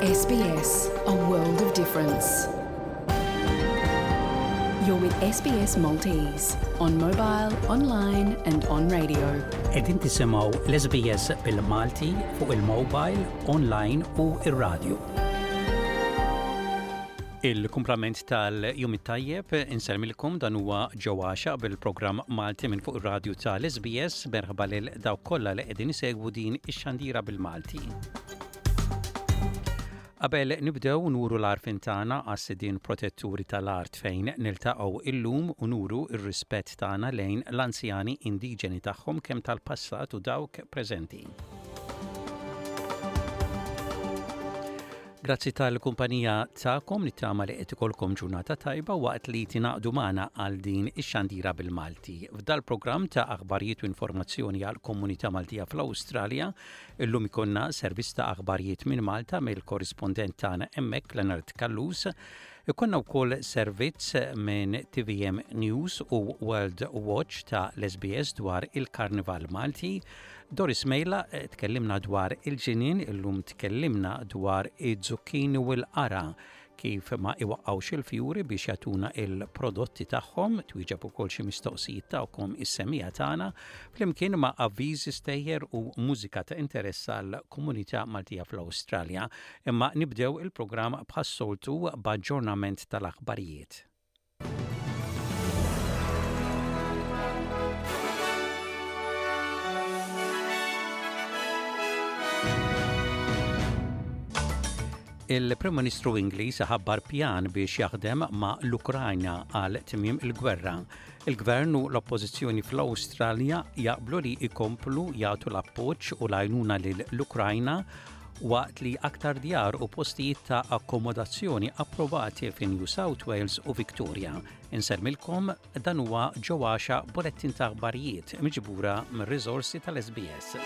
SBS, a world of difference. You're with SBS Maltese on mobile, online and on radio. Qegħdin tisimgħu l-SBS bil-Malti fuq il-mobile, online u ir-radio. Il-kumplament tal-jum it-tajjeb insellmilkom dan huwa Joe Għaxaq bil-programm Malti minn fuq ir-radju tal-SBS merħba lil dawk kollha li qegħdin isegwu din ix-xandira bil-Malti. Qabel nibdew nuru l-għarfien tagħna għas-sidien protetturi tal-art fejn niltaqgħu illum u nuru r-rispett tagħna lejn l-anzjani indiġeni tagħhom kemm tal-passat u dawk preżenti. Grazzi tal-kumpanija tagħkom nittama li qed ikolkom ġurnata tajba waqt li tingħaqdu magħna għal din ix-xandira bil-Malti. F'dal-programm ta' aħbarijiet u informazzjoni għal komunità Maltija fl-Awstralja, illum ikollna servizz ta' aħbarijiet minn Malta mill-korrispondent tagħna hemmhekk Leonard Callus. Ikollna wkoll servizz minn TVM News u World Watch ta' l-SBS dwar il-Karnival Malti. Doris Mejla tkellimna dwar il-ġinien, illum tkellimna dwar iz-zucchini u l-qara kif ma iwaqqgħux il-fjuri biex jagħtuna il-prodotti tagħhom, twieġeb ukoll xi mistoqsijiet tagħkom is-semmiegħa tagħna, flimkien ma' avviżi stejjer u mużika ta' interess għall-komunità Maltija fl-Awstralja. Imma nibdew il-programm bħas-soltu b'aġġornament tal-aħbarijiet. Il-Prim Ministru Ingliż ħabbar pjan biex jaħdem ma' l-Ukrajna għal tmiem il-gwerra. Il-Gvern u l-Oppożizzjoni fl-Awstralja jaqblu li jkomplu jagħtu l-appoġġ u l-għajnuna lill-Ukrajna waqt li aktar djar u postijiet ta' akkomodazzjoni approvati fi New South Wales u Victoria. Insellmilkom dan huwa Joe Axiaq bulettin ta' aħbarijiet miġbura mir-riżorsi tal-SBS.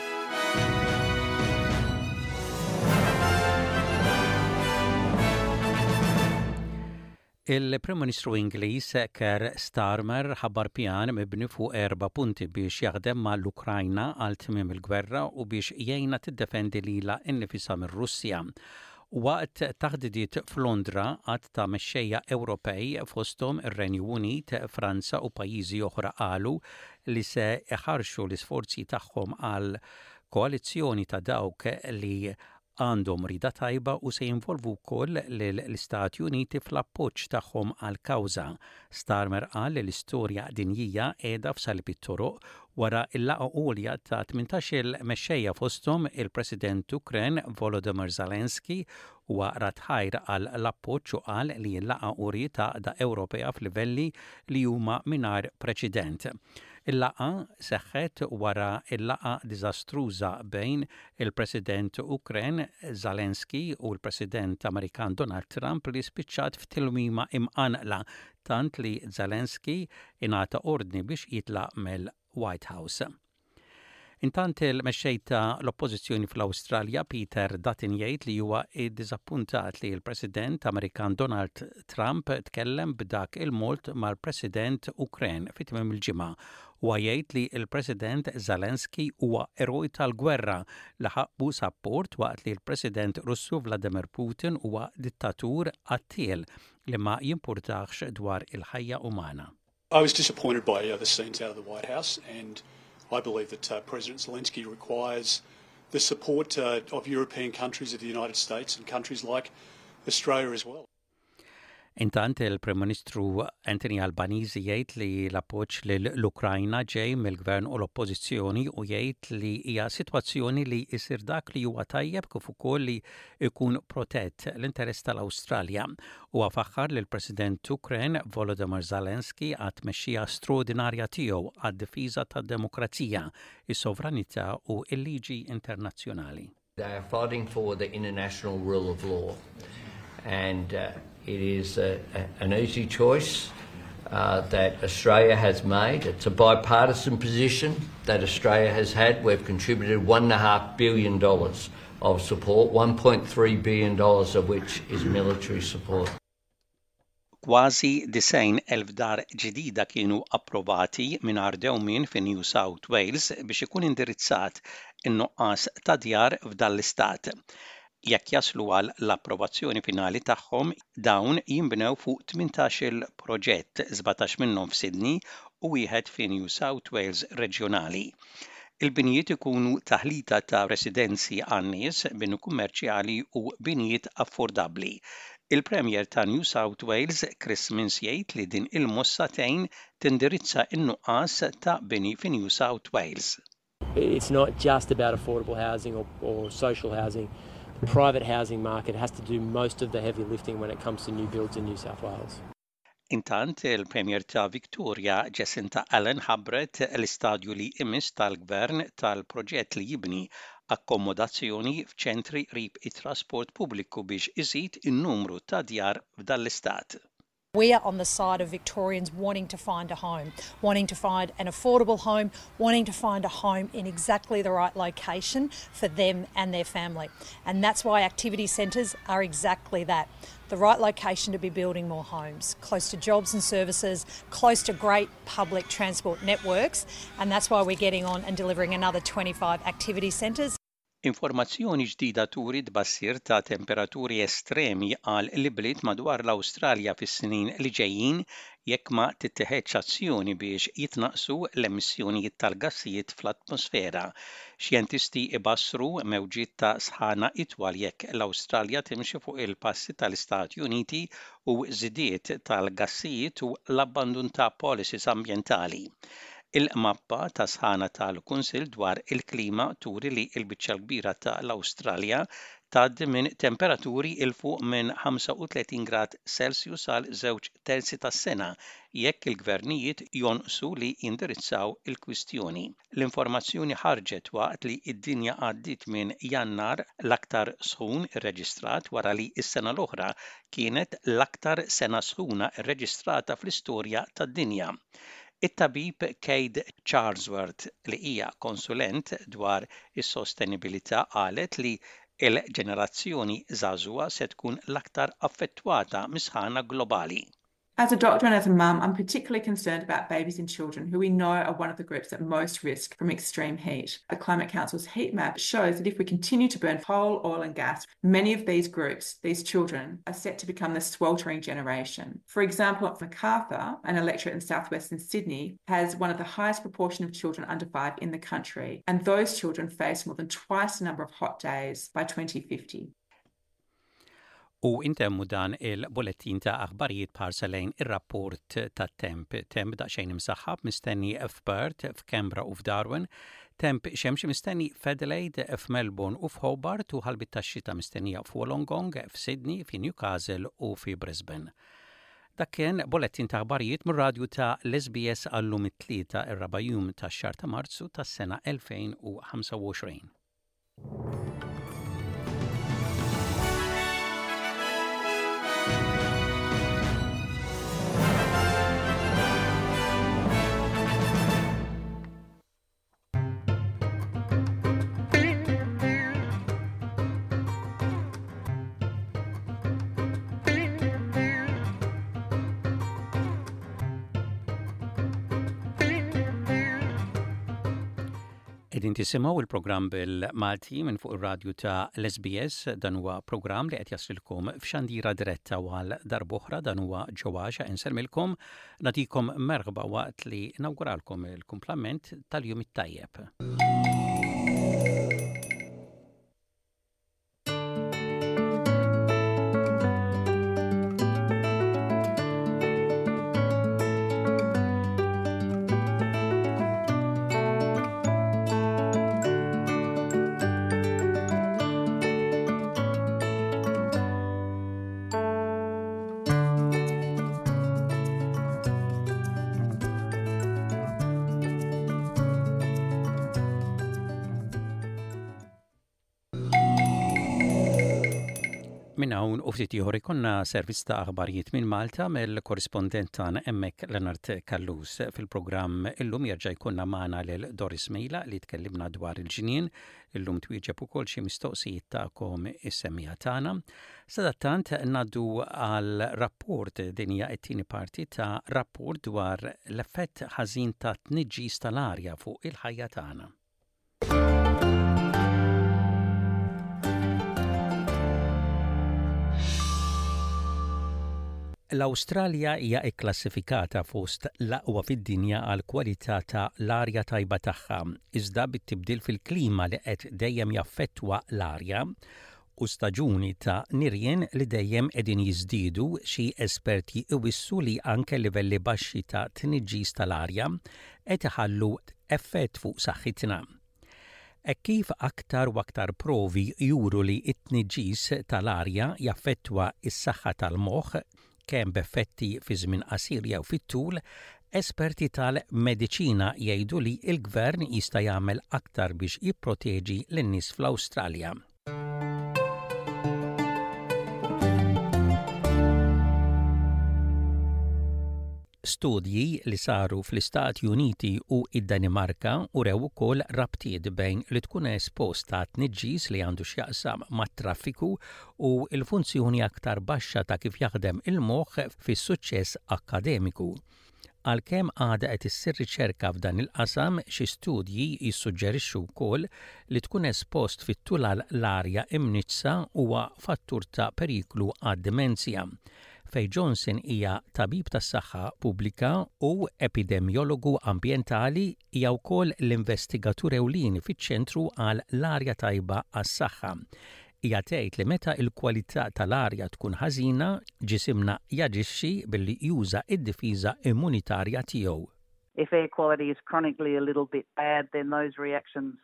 Il-Prim Ministru Ingliż Keir Starmer ħabbar pjan mibni fuq erba' punti biex jaħdem ma' l-Ukrajna għal tmiem il-gwerra u biex jgħinha tiddefendi lilha nnifisha mir-Russja. Waqt taħdidiet f'Londra, għadd ta' mexxejja Ewropej, fosthom ir-Renju Unit, Franza u pajjiżi oħra qalu li se iħarrxu l-isforzi tagħhom għal koalizzjoni ta' dawk li għandhom rieda tajba u se jinvolvu wkoll lill-Istati Uniti fl-appoġġ tagħhom għall-kawża. Starmer qal li l-istorja dinjija qiegħda f'salib it-toroq wara l-laqgħa għolja ta' 18-il mexxejja fosthom il-President Ukren Volodymyr Zelensky huwa radd ħajr għal l-appoġġ u qal li l-laqgħa uriet għaqda Ewropea f'livelli li huma mingħajr preċedent. Il-laqgħa seħħet wara l-laqgħa diżastruża bejn il-President Ukren Zelensky u l-President Amerikan Donald Trump li spiċċat f'tilwima imqanqla tant li Zelensky ingħata ordni biex jitlaq mill-White House. Intant il-mexxej ta' l-Oppożizzjoni fl-Awstralja Peter Dutton jgħid li huwa iddiżappuntat li l-President Amerikan Donald Trump tkellem b'dak il-mod mal-President Ukren fi tmiem il-ġimgħa. Huwa jgħid li l-President Zelensky huwa eroj tal-gwerra li ħaqqu sapport waqt li l-President Russu Vladimir Putin huwa dittatur qattiel li ma jimpurtahx dwar il-ħajja umana. I was disappointed by uh, the scenes out of the White House and I believe that uh, President Zelensky requires the support uh, of European countries of the United States and countries like Australia as well. Intant il-Prim Ministru Anthony Albanese jgħid li l-appoġġ lill-Ukrajna ġej mill-Gvern u l-Oppożizzjoni u jgħid li hija sitwazzjoni li jsir dak li huwa tajjeb kif ukoll li jkun protett l-interess tal-Awstralja. Huwa faħħar lill-President Ukren Volodymyr Zelensky għat-tmexxija straordinarja tiegħu għad-difiża tad-demokrazija, is-sovranità u l-liġi internazzjonali. They are fighting for the international rule of law and uh, it is a, a, an easy choice uh, that Australia has made. It's a bipartisan position that Australia has had. We've contributed $1.5 billion of support, $1.3 billion of which is military support. Kważi 90,000 dar ġdida kienu approvati mingħajr dewmien fi New South Wales biex ikun indirizzat in-nuqqas ta' djar f'dan l-istat. Jekk jaslu għal l-approvazzjoni finali tagħhom, dawn jinbnew fuq 18-il proġett, 17 minnhom f'Sydney u wieħed fi New South Wales reġjonali. Il-binjiet ikunu taħlita ta' residenzi għan-nies, bini kummerċjali u binjiet affordabbli. Il-Premier ta' New South Wales, Chris Minns jgħid li din il-mossa tgħin tindirizza n-nuqqas ta' bini fi New South Wales. It's not just about affordable housing or, or social housing. The private housing market has to do most of the heavy lifting when it comes to new builds in New South Wales. Intant, il-Premier ta' Victoria, Jacinta Allan ħabbret l-istadju li jmiss tal-Gvern tal-proġett li jibni akkomodazzjoni f'ċentri qrib it-trasport pubbliku biex iżid in-numru ta' djar f'dan l-istat. We are on the side of Victorians wanting to find a home, wanting to find an affordable home, wanting to find a home in exactly the right location for them and their family. And that's why activity centres are exactly that the right location to be building more homes, close to jobs and services, close to great public transport networks, and that's why we're getting on and delivering another 25 activity centres. Informazzjoni ġdida turi tbassir ta' temperaturi estremi għal l-ibliet madwar l-Awstralja fis-snin li ġejjin jekk ma tittiħedx azzjoni biex jitnaqqsu l-emissjonijiet tal-gassijiet fl-atmosfera. Xjentisti jbassru mewġiet ta' sħana itwal jekk l-Awstralja timxi fuq il-passi tal-Istati Uniti u żidiet tal-gassijiet u l-abbandun ta' policies ambjentali. Il-mappa ta' sħana tal-Kunsill dwar il-Klima turi li l-biċċa l-kbira ta' l-Awstralja tgħaddi minn temperaturi 'l fuq minn 35 grad Celsius għal żewġ terzi tas-sena jekk il-gvernijiet jonqsu li jindirizzaw il-kwistjoni. L-informazzjoni ħarġet waqt li d-dinja għaddiet minn Jannar l-aktar sħun irreġistrat wara li s-sena l-oħra kienet l-aktar sena sħuna rreġistrata fl-istorja tad-dinja. It-tabib Kate Charlesworth li hija konsulent dwar is-sostenibilità qalet li l-ġenerazzjoni żagħżugħa se tkun l-aktar affettwata mis-sħana globali. As a doctor and as a mum, I'm particularly concerned about babies and children who we know are one of the groups at most risk from extreme heat. The Climate Council's heat map shows that if we continue to burn coal, oil and gas, many of these groups, these children, are set to become the sweltering generation. For example, Macarthur, an electorate in southwestern Sydney, has one of the highest proportion of children under five in the country, and those children face more than twice the number of hot days by 2050. U intemmu dan il-bulettin ta' aħbarijiet b'ħarsa lejn ir-rapport tat-temp. Temp daqsxejn imsaħħab mistenni f'Perth, f'Canberra u f'Darwin, temp xemxi mistenni f'Adelaide, f'Melbourne u f'Hobart u ħalbiet tax-xita mistennija f'Wollongong, f'Sydney, fi Newcastle u fi Brisbane. Dak kien bulettin ta' aħbarijiet mir-radju ta' l-SBS għal-lum it-Tlieta, ir-raba' jum tax-xahar ta' Marzu tas-sena 2025. Qegħdin tisimgħu il-programm bil-Malti minn fuq ir-radju ta' l-SBS dan huwa programm li qed jaslilkom f'xandira diretta u għal darb'oħra dan huwa ġewwaxa insellmilkom nagħtikom merħba waqt li nawguralkom il-kumplament tal-jum it-tajjeb. Minn hawn u ftit ieħor ikollna servizz ta' aħbarijiet minn Malta mill-korrispondent tagħna hemmhekk Leonard Callus. Fil-programm illum jerġa' jkollna magħna lil Doris Mejla li tkellimna dwar il-ġnien. Illum twieġeb ukoll xi mistoqsijiet tagħkom is-semmiegħa tagħna. Sadattant ngħaddu għal rapport din hija t-tieni parti ta' rapport dwar l-effett ħażin ta' tniġġis tal-arja fuq il-ħajja tagħna. L-Awstralja hija kklassifikata fost l-aqwa fid-dinja għall-kwalità ta' l-arja tajba tagħha, iżda bit-tibdil fil-klima li qed dejjem jaffettwa l-arja u staġuni ta' nirien li dejjem qegħdin jiżdiedu, xi esperti iwissu li anke livelli baxxi ta' tniġġis tal-arja qed iħallu effett fuq saħħitna. Hekk kif aktar u aktar provi juru li t-tniġġis tal-arja jaffettwa s-saħħa tal-moħħ, kemm b'effetti fi żmien qasir jew fit-tul, esperti tal-mediċina jgħidu li l-gvern jista' jagħmel aktar biex jipproteġi lin-nies fl-Awstralja. Studji li saru fl-Istati Uniti u d-Danimarka urew ukoll rabtiet bejn li tkun espost għat-tniġġis li għandu x'jaqsam mat-traffiku u l-funzjoni aktar baxxa ta' kif jaħdem il-moħħ fis-suċċess akkademiku. Għalkemm għadha qed issir riċerka f'dan il-qasam, xi studji jissuġġerixxu wkoll li tkun espost fit-tul għal l-arja imniġġsa huwa fattur ta' periklu għad-dimenzja. Faye Johnson hija tabib tas-saħħa pubblika u epidemjologu ambjentali, hija wkoll l-investigatur ewlieni fiċ-Ċentru għal l-Arja Tajba għas-Saħħa. Hija tgħid li meta l-kwalità tal-arja tkun ħażina, ġisimna jaġixxi billi juża d-difiża immunitarja tiegħu. If air quality is chronically a little bit bad, then those reactions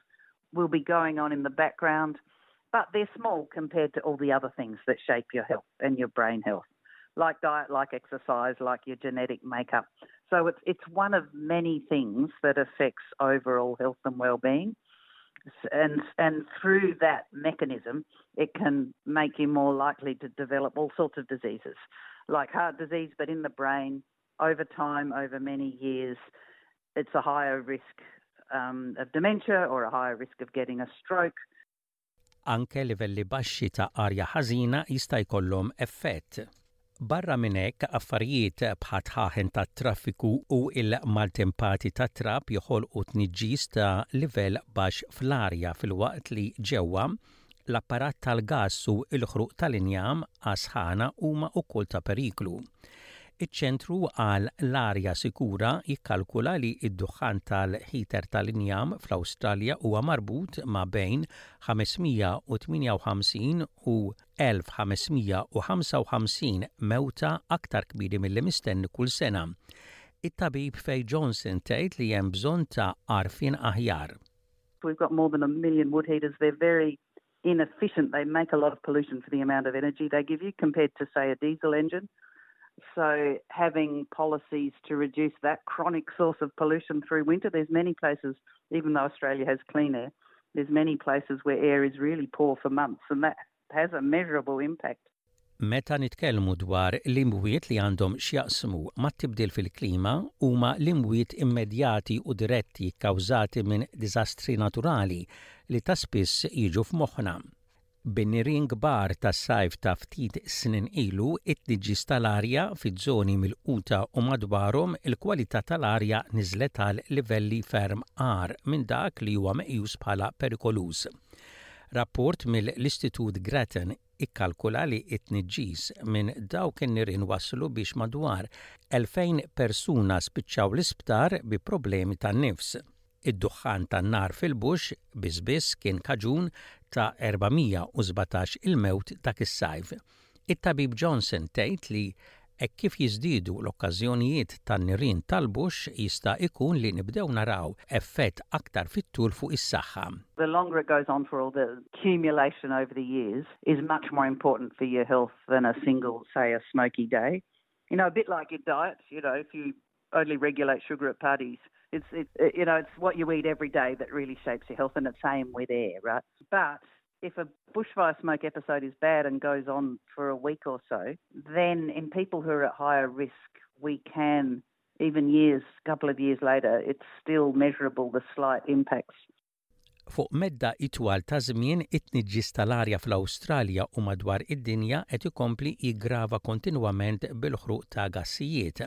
will be going on in the background, but they're small compared to all the other things that shape your health and your brain health, like diet, like exercise, like your genetic makeup. So it's, it's one of many things that affects overall health and well-being. And, and through that mechanism, it can make you more likely to develop all sorts of diseases, like heart disease, but in the brain, over time, over many years, it's a higher risk um, of dementia or a higher risk of getting a stroke. Anke livelli baxxi ta' arja ħażina jista' jkollhom effett. Barra minn hekk, affarijiet bħat-dħaħen tat-traffiku u l-maltempati tat-trab joħolqu tniġġis ta' livell baxx fl-arja filwaqt li ġewwa, l-apparat tal-gass u l-ħruq tal-injam għas-sħana huma wkoll ta' periklu. Iċ-Ċentru għal l-Arja Sikura jikkalkula li d-duħħan tal-ħiter tal-injam fl-Awstralja huwa marbut ma' bejn 558 u 1,555 mewta aktar kmieni milli mistenni kull sena. It-tabib Faye Johnson tgħid li hemm bżonn ta' għarfien aħjar. We've got more than a million wood heaters. They're very inefficient. They make a lot of pollution for the amount of energy they give you compared to, say, a diesel engine. So having policies to reduce that chronic source of pollution through winter, there's many places, even though Australia has clean air, there's many places where air is really poor for months and that has a measurable impact. Meta nitkellmu dwar l-imwiet li għandhom x'jaqsmu mat-tibdil fil-klima, huma l-imwiet immedjati u diretti kkawżati minn diżastri naturali li ta' spiss jiġu f'moħħna. Bin-nirien kbar tas-sajf ta' ftit snin ilu, it-tniġġis tal-arja fiż-żoni milquta u madwarhom, il-kwalità tal-arja niżlet għal livelli ferm agħar minn dak li huwa meqjus bħala perikoluż. Rapport mill-Istitut Grattan ikkalkula li t-tniġġis minn dawk in-nirien wasslu biex madwar 2,000 persuna spiċċaw l-isptar bi problemi tan-nifs. Id-duħħan tan-nar fil-bush biss biss kien kaġun ta' 417 il-mewt dak is-sajf. It-Tabib Johnson tgħid li hekk kif jiżdiedu l-okkażjonijiet tan-nirien tal-bush jista' jkun li nibdew naraw effett aktar fit-tul fuq is-saħħa. The longer it goes on for all the accumulation over the years is much more important for your health than a single, say, a smoky day. You know, a bit like your diet, you know, if you only regulate sugar at parties, it's, it, you know, it's what you eat every day that really shapes your health and it's same with air, right? But if a bushfire smoke episode is bad and goes on for a week or so, then in people who are at higher risk, we can, even years, couple of years later, it's still measurable, the slight impacts. Fuq medda itwal ta' żmien, it-tniġġis tal-arja fl-Awstralja u madwar id-dinja qed ikompli jiggrava kontinwament bil-ħruq ta' gassijiet.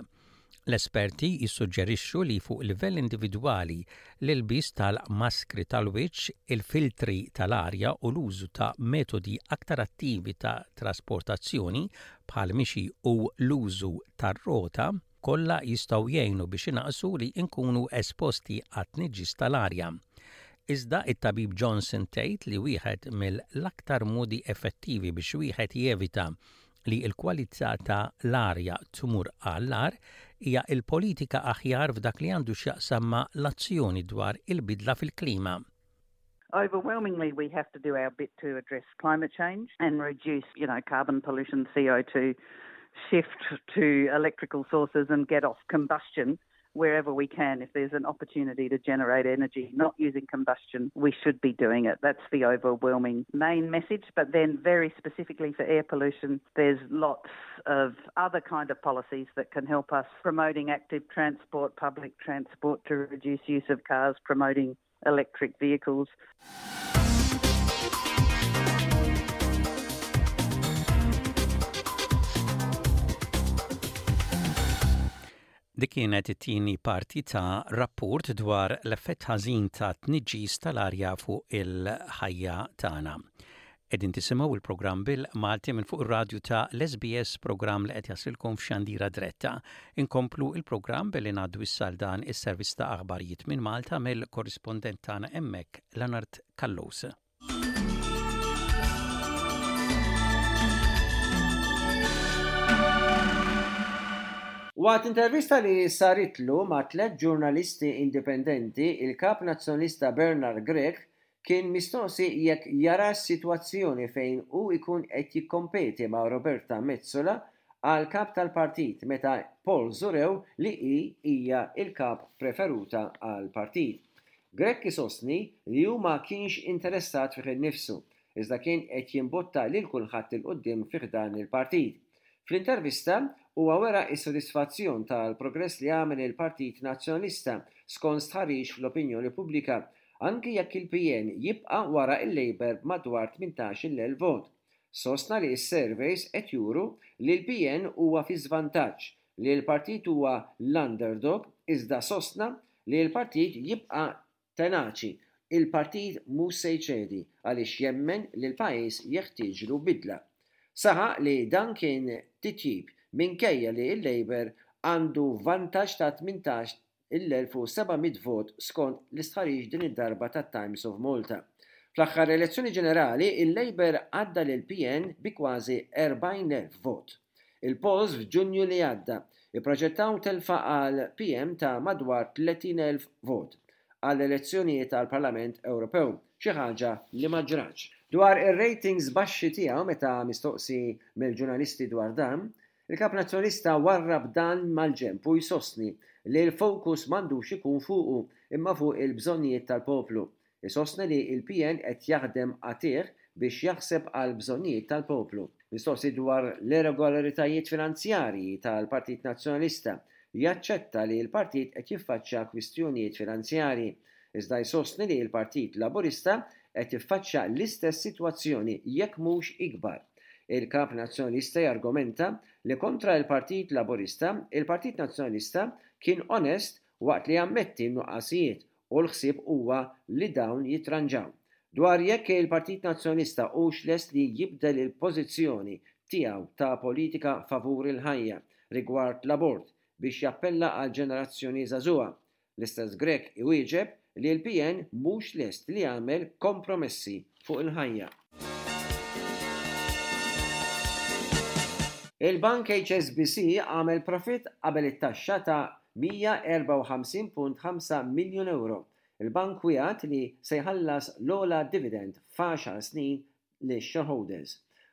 L-esperti jissuġġerixxu li fuq livell individwali, l-ilbies tal-maskri tal-wiċċ, il-filtri tal-arja u l-użu ta' metodi aktar attivi ta' trasportazzjoni bħall-mixi u l-użu tar-rota kollha jistgħu jgħinu biex inaqqsu li nkunu esposti għat-tniġġis tal-arja. Iżda it-tabib Johnson tgħid li wieħed mill-aktar modi effettivi biex wieħed jevita li l-kwalità ta' l-arja tmur għall-agħar hija l-politika aħjar f'dak li għandu x'jaqsam ma' l-azzjoni dwar il-bidla fil-klima. Overwhelmingly we have to do our bit to address climate change and reduce, you know, carbon pollution, CO2, shift to electrical sources and get off combustion wherever we can. If there's an opportunity to generate energy not using combustion, we should be doing it. That's the overwhelming main message. But then very specifically for air pollution, there's lots of other kind of policies that can help us promoting active transport, public transport to reduce use of cars, promoting electric vehicles. Dik kienet it-tieni parti ta' rapport dwar l-effett ħażin ta' tniġġis tal-arja fuq il-ħajja tagħna. Qegħdin tisimgħu il-programm bil-Malti minn fuq ir-radju ta' l-SBS programm li qed jaslilkom f'xandira dretta. Inkomplu il-programm billi ngħaddu issa għal dan is-servizz ta' aħbarijiet minn Malta mill-korrispondent tagħna hemmhekk Leonard Callus. Waqt intervista li saritlu ma' tlett ġurnalisti indipendenti, il-Kap Nazzjonalista Bernard Grech kien mistoqsi jekk jarax sitwazzjoni fejn hu jkun qed jikkompeti ma' Roberta Metsola għal Kap tal-Partit meta polls urew li hi hija l-Kap preferuta għall-Partit. Grech isostni li hu ma kienx interessat fih innifsu, iżda kien qed jimbotta lil kulħadd 'il quddiem fi ħdan il-partit. Fl-intervista, huwa wera s-sodisfazzjon tal-progress li għamel il-Partit Nazzjonalista skont stħarriġ fl-opinjoni pubblika, anki jekk il-PN jibqa' wara l-Labour b'madwar 18,000 vot. Sostna li s-surveys qed juru li l-PN huwa fi żvantaġġ, li l-partit huwa l-underdog iżda sostna li l-partit jibqa' tenaċi, il-partit mhux se jċedi għaliex jemmen li l-pajjiż jeħtieġlu bidla. Saħaq li dan kien titjib minkejja li l-Labour għandu vantaġġ ta' 18 il-1,700 vot skont l-istħarriġ din id-darba tat-Times of Malta. Fl-aħħar elezzjoni ġenerali, il-Labour għadda lill-PN bi kważi 40,000 vot. Il-polls f'Ġunju li għadda ipproġettaw telfa għall-PM ta' madwar 30,000 vot għall-elezzjonijiet għall-Parlament Ewropew, xi ħaġa li ma ġratx. Dwar ir-ratings baxxi tiegħu meta mistoqsi mill-ġurnalisti dwar dan, Il-Kap Nazzjonalista warrab dan mal-ġenb u jsostni li l-fokus m'għandux ikun fuqu imma fuq il-bżonnijiet tal-poplu. Isostni li l-PN qed jaħdem qatigħ biex jaħseb għall-bżonnijiet tal-poplu. Mistoqsi dwar l-irregolaritajiet finanzjarji tal-Partit Nazzjonalista, jaċċetta li l-partit qed jiffaċċja kwistjonijiet finanzjarji, iżda jsostni li l-Partit Laburista qed jiffaċċja l-istess sitwazzjoni jekk mhux ikbar. Il-Kap Nazzjonalista jargumenta li kontra l-Partit Laburista, il-Partit Nazzjonalista kien onest waqt li jammetti n-nuqqasijiet u l-ħsieb huwa li dawn jitranġaw. Dwar jekk il-Partit Nazzjonalista hux lest li jibdel il-pożizzjoni tiegħu ta' politika favur il-ħajja rigward l-abort biex jappella għall-ġenerazzjoni żagħżugħa, L-istess Grech iwieġeb li l-PN mhux lest li jagħmel kompromessi fuq il-ħajja. Il-bank HSBC għamel profitt qabel it-taxxa ta' 154.5 miljun ewro. Il-bank wiegħed li se jħallas l-ogħla dividend f'għaxar snin lix-shareholders.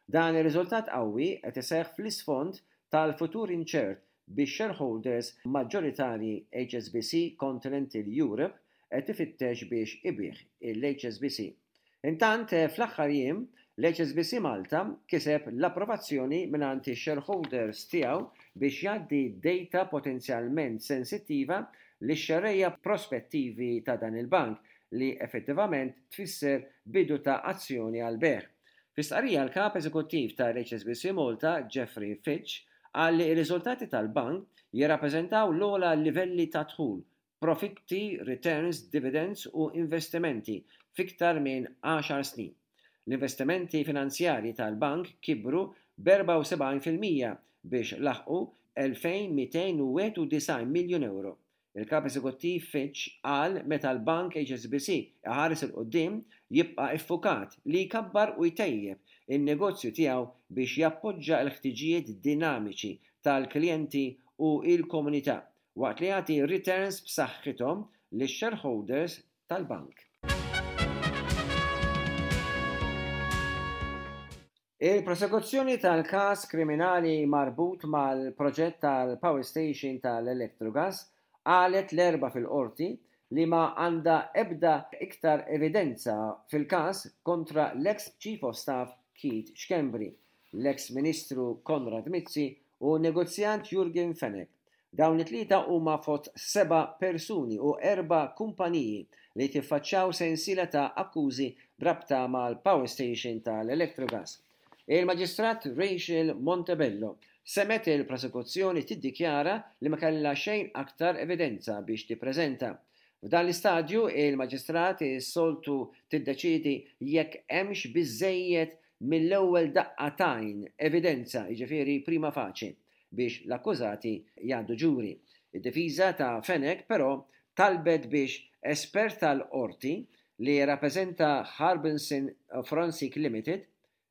Dan ir-riżultat qawwi qed iseħħ fl-isfond tal-futur inċert bix-shareholders maġġoritarji HSBC Continental Europe qed ifittex biex ibigħ il-HSBC. Intant, fl-aħħar jiem, l-HSBC Malta kiseb l-approvazzjoni mingħand ix-shareholders tiegħu biex jgħaddi data potenzjalment sensittiva lix-xerrejja prospettivi ta' dan il-bank li effettivament tfisser bidu ta' azzjoni għall-bejgħ. Fi stqarrija l-Kap Eżekuttiv tal-HSBC Malta, Geoffrey Fitch, qal li r-riżultati tal-bank jirrappreżentaw l-ogħla livelli ta' dħul, profitti, returns, dividends u investimenti f'iktar minn għaxar snin. L-investimenti finanzjarji tal-bank kibru b'74% biex laħqu 2,291 miljun ewro. Il-Kap Eżekuttiv Fitch qal meta l-Bank HSBC iħares 'il quddiem jibqa' ffukat li jkabbar u jtejjeb in-negozju tiegħu biex jappoġġa l-ħtiġijiet dinamiċi tal-klijenti u l-komunità waqt li jagħti returns b'saħħithom lix-shareholders tal-bank. Il-prosekuzzjoni tal-każ kriminali marbut mal-proġett tal-power station tal-Electrogas qalet l-Erbgħa fil-Qorti li ma għandha ebda iktar evidenza fil-każ kontra l-eks Chief of Staff Keith Schembri, l-eks Ministru Konrad Mizzi u n-negozjant Jurgen Fenech. Dawn it-tlieta huma fost seba' persuni u erba' kumpaniji li tiffaċċjaw sensiela ta' akkużi b'rabta mal-power station tal-Electrogas. Il-Maġistrat Rachel Montebello semgħet il-prosekuzzjoni tiddikjara li ma kellha xejn aktar evidenza biex tippreżenta. F'dan l-istadju, il-Maġistrat is-soltu tiddeċiedi jekk hemmx biżżejjed mill-ewwel daqqa t'għajn evidenza, jiġifieri prima facie, biex l-akkużati jgħaddu ġuri. Id-difiża ta' Fenech però talbet biex espert tal-Qorti li jirrappreżenta Harbinson Forensic Limited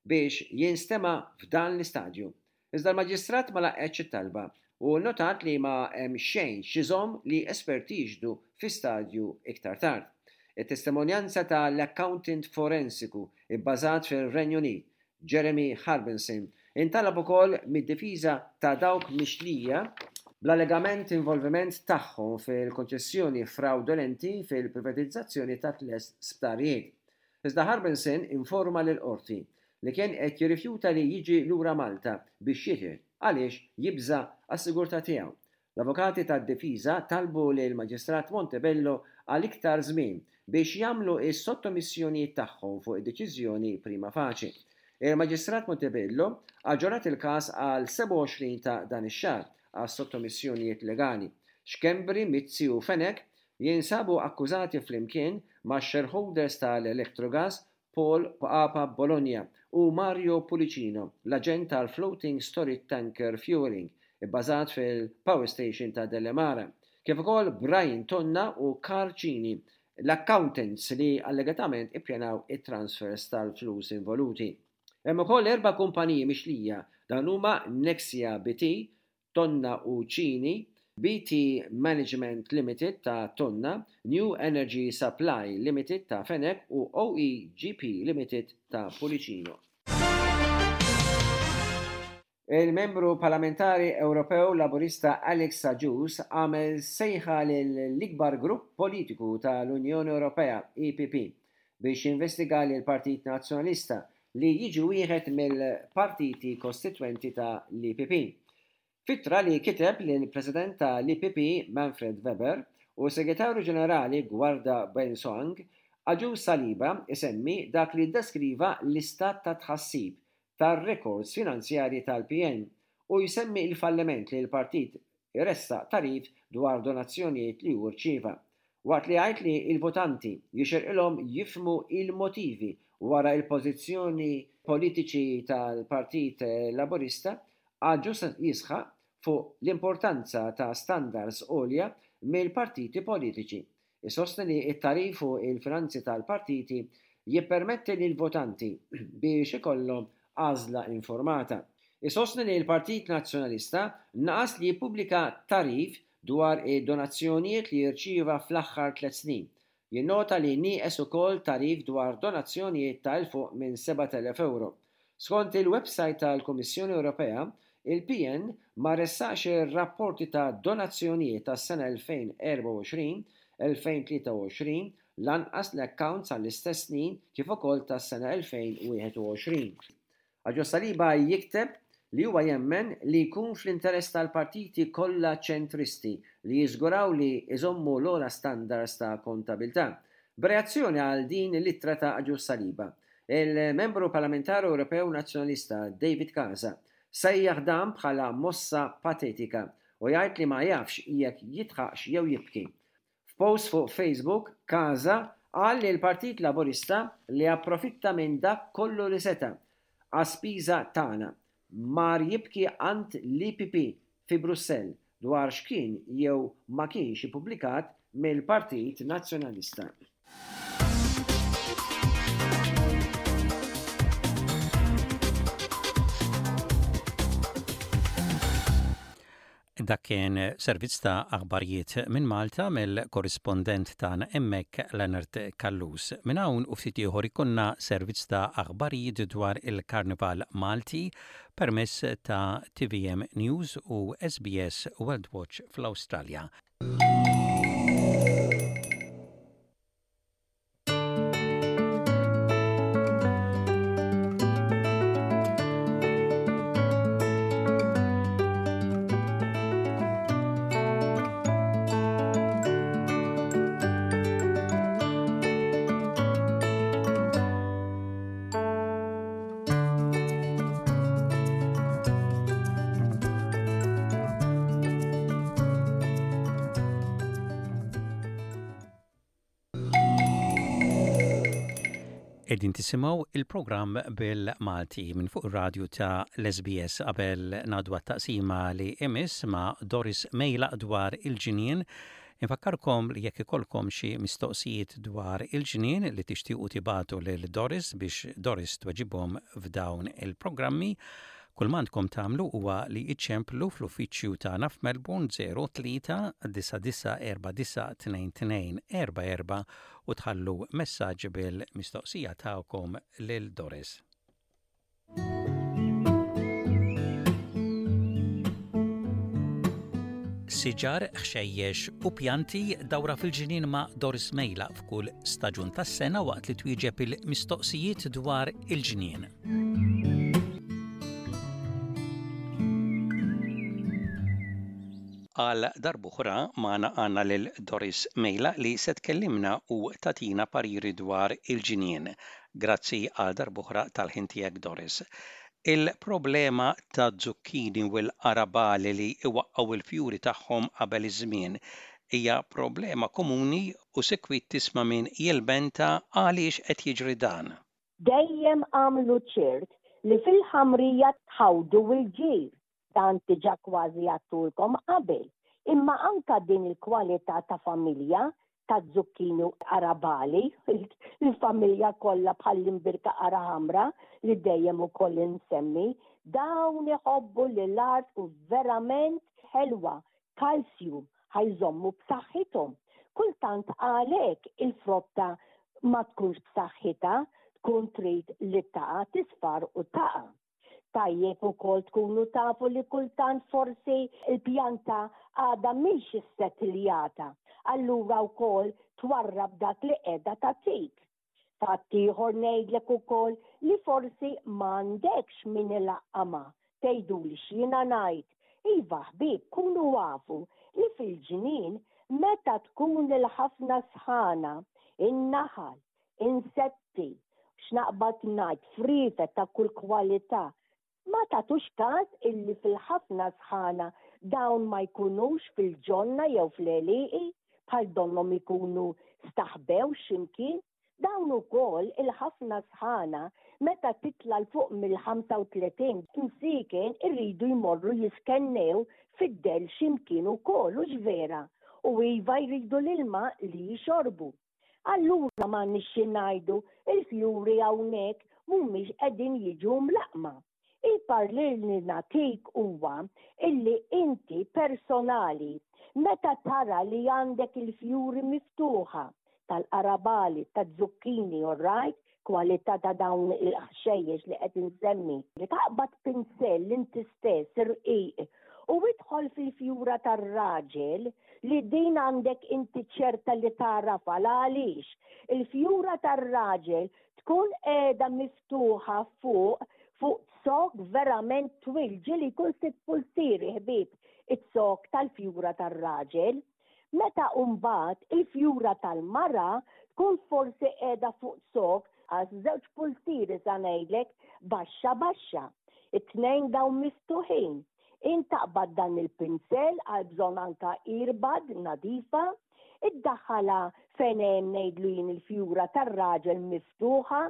biex jinstema' f'dan l-istadju. Iżda l-Maġistrat ma laqgħetx it-talba u nnotat li ma hemm xejn x'iżomm li esperti jixhdu fi stadju iktar tard. It-testimonjanza ta' l-accountant forensiku bbażat fir-Renju Unit Jeremy Harbinson, intalab ukoll mid-difiża ta' dawk mixlija bl-allegament involviment tagħhom fil-konċessjoni frawdolenti fil-privatizzazzjoni ta' tles sptarijiet. Iżda Harbinson informa lill-Qorti li kien qed jirrifjuta li jiġi lura Malta biex jixhed għaliex jibża' għas-sigurtà tiegħu. L-avukati tad-difiża talbu lill-Maġistrat Montebello għal iktar żmien biex jagħmlu s-sottomissjonijiet tagħhom fuq id-deċiżjoni prima facie. Il-Maġistrat Montebello aġġornat il-każ għal 27 ta' dan ix-xahar għas-sottomissjonijiet legali. Schembri, Mizzi u Fenech jinsabu akkużati flimkien max-shareholders tal-Electrogas Paul Papa Bologna u Mario Pullicino, l-aġent tal-Floating Storage Tanker Fuelling, ibbażat fil-Power Station ta' Delimara, kif ukoll Brian Tonna u Karl Cini, l-accountants li allegatament ippjanaw it-transfers tal-flus involuti. Hemm ukoll erba' kumpaniji mixlija, dawn huma Nexia BT, Tonna u Cini, BT Management Limited ta' Tonna, New Energy Supply Limited ta' Fenech u OEGP Limited ta' Pullicino. Il-Membru Parlamentari Ewropew Laburista Alex Agius għamel sejħa lill-ikbar grupp politiku tal-Unjoni Ewropea, EPP, biex jinvestiga lill-Partit Nazzjonalista li jiġi wieħed mill-partiti kostitwenti ta' l-EPP. F'ittra li kiteb lill-President ta' l-EPP Manfred Weber u s-Segretarju Ġenerali Guarda Bensoang, Agius Saliba isemmi dak li ddeskriva l-istat ta' tħassib tar-rekords finanzjarji tal-PN u jsemmi l-falliment li l-partit iressaq tagħrif dwar donazzjonijiet li hu rċieva. Waqt li jgħid li l-votanti jixirqilhom jifhmu l-motivi wara l-pożizzjoni politiċi tal-Partit Laburista, Agius jisħaq fuq l-importanza ta' standards għolja mill-partiti politiċi. Isostni li t-tagħrif fuq il-finanzi tal-partiti jippermetti lill-votanti biex ikollhom għażla informata. Isostni li l-Partit Nazzjonalista naqas li jippubblika tagħrif dwar id-donazzjonijiet li rċieva fl-aħħar tliet snin. Jinnota li nieqes ukoll tagħrif dwar donazzjonijiet ta' 'l fuq minn 7,000 ewro. Skont il-websajt tal-Kummissjoni Ewropea, il-PN ma ressaqx ir-rapporti ta' donazzjonijiet tas-sena 2024, 2023, lanqas l-accounts għall-istess snin kif ukoll tas-sena 2021. Agius Saliba jikteb li huwa jemmen li jkun fl-interess tal-partiti kollha ċentristi li jiżguraw li jżommu l-ogħla standards ta' kontabilità. B'reazzjoni għal din l-ittra ta' Agius Saliba, il-Membru Parlamentari Ewropew Nazzjonalista David Casa Sejjaħ dan bħala mossa patetika u jgħid li ma jafx jekk jidħaqx jew jibki. F'post fuq Facebook, Casa qal li l-Partit Laburista li approfitta minn dak kollu li seta' għas-spiża tagħna, mar jibki għand l-EPP fi Brussell dwar x'kien jew ma kienx ippubblikat mill-Partit Nazzjonalista. Dak kien servizz ta' aħbarijiet minn Malta mill-korrispondent tagħna hemmhekk Leonard Callus. Minn hawn u ftit ieħor ikollna servizz ta' aħbarijiet dwar il-Karnival Malti permezz ta' tvm News u SBS World Watch fl-Awstralja. Qegħdin tisimgħu il-programm bil-Malti minn fuq ir-radju ta' l-SBS qabel ngħaddu għat-taqsima li imiss ma' Doris Mejlaq dwar il-ġnien. Infakkarkom li jekk ikollkom xi mistoqsijiet dwar il-ġnien li tixtiequ tibagħtu lil Doris biex Doris tweġibhom f'dawn il-programmi, Kull m'għandkom tagħmlu huwa li iċċemplu fl-uffiċċju tagħna f'Melbourne 03 9949 2244 u tħallu messaġġ bil-mistoqsija tagħkom lil Doris. Siġar, ħxejjex u pjanti dawra fil-ġnien ma' Doris Mejla f'kull staġun tas-sena waqt li twieġeb il-mistoqsijiet dwar il-ġnien. Għal darb'oħra magħna għandna lil Doris Mejla li se tkellimna u tagħtina pariri dwar il-ġnien. Grazzi għal darb'oħra tal-ħin tiegħek Doris. Il-problema taz-zucchini u l-qarabali li iwaqqgħu l-fjuri tagħhom qabel iż-żmien hija problema komuni u sikwit tisma' min jilmenta għaliex qed jiġri dan. Dejjem agħmlu ċert li fil-ħamrija tħawdu l-ġir, dan diġà kważi għadtulkom qabel, imma anka din il-kwalità ta' familja ta' zucchini u qarabali, il-familja kollha bħall-imbirka qara ħamra li dejjem ukoll insemmi, dawn iħobbu li l-art tkun verament ħelwa, kalsju ħa jżommu b'saħħithom. Kultant għalhekk il-frotta ma tkunx b'saħħitha, tkun trid li taqa' tisfar u taqa'. Tajjeb ukoll tkunu tafu li kultant forsi l-pjanta għadha mhix issettiljata, allura wkoll twarrab dak li qiegħda tagħtik. Fatt ieħor ngħidlek ukoll li forsi m'għandekx min ilaqqamha. Tgħiduli x'jiena ngħid? Iva ħbieb kunu afu li fil-ġnien meta tkun il-ħafna sħana, in-naħal, insetti, x'naqbad ngħid, friefet ta' kull kwalità, Ma tagħtux każ illi fil-ħafna sħana dawn ma jkunux fil-ġonna jew fl-għelieqi, bħal donnhom ikunu staħbew xi mkien. Dawn ukoll il-ħafna sħana meta titla' 'l fuq mill-35 msieken iridu jmorru jiskennew fid-dell xi mkien ukoll, hux vera? U iva jridu l-ilma li jixorbu. Allura m'għandniex xi ngħidu, il-fjuri hawnhekk mhumiex qegħdin jiġu mlaqqma. Il-parir li nagħtik huwa illi inti personali meta tara li għandek il-fjuri miftuħa tal-qarabali, taz-zucchini, all right, kwalità ta' dawn il-ħxejjex li qed insemmi. Taqbad pinsell inti stess irqiq u idħol fil-fjura tar-raġel li din għandek inti ċerta li tagħrafha għaliex il-fjura tar-raġel tkun qiegħda miftuħa fuq fuq zokk verament twil ġieli jkun sitt pulzieri ħbieb iz-zokk tal-fjura tar-raġel. Meta mbagħad il-fjura tal-mara tkun forsi qiegħda fuq zokk għal żewġ pulzieri sa ngħidlek baxxa baxxa. It-tnejn dawn miftuħin. Int taqbad dan il-pinsel għal bżonn anka earbud nadifa, iddaħħalha fejn hemm ngħidlu jien il-fjura tar-raġel miftuħa,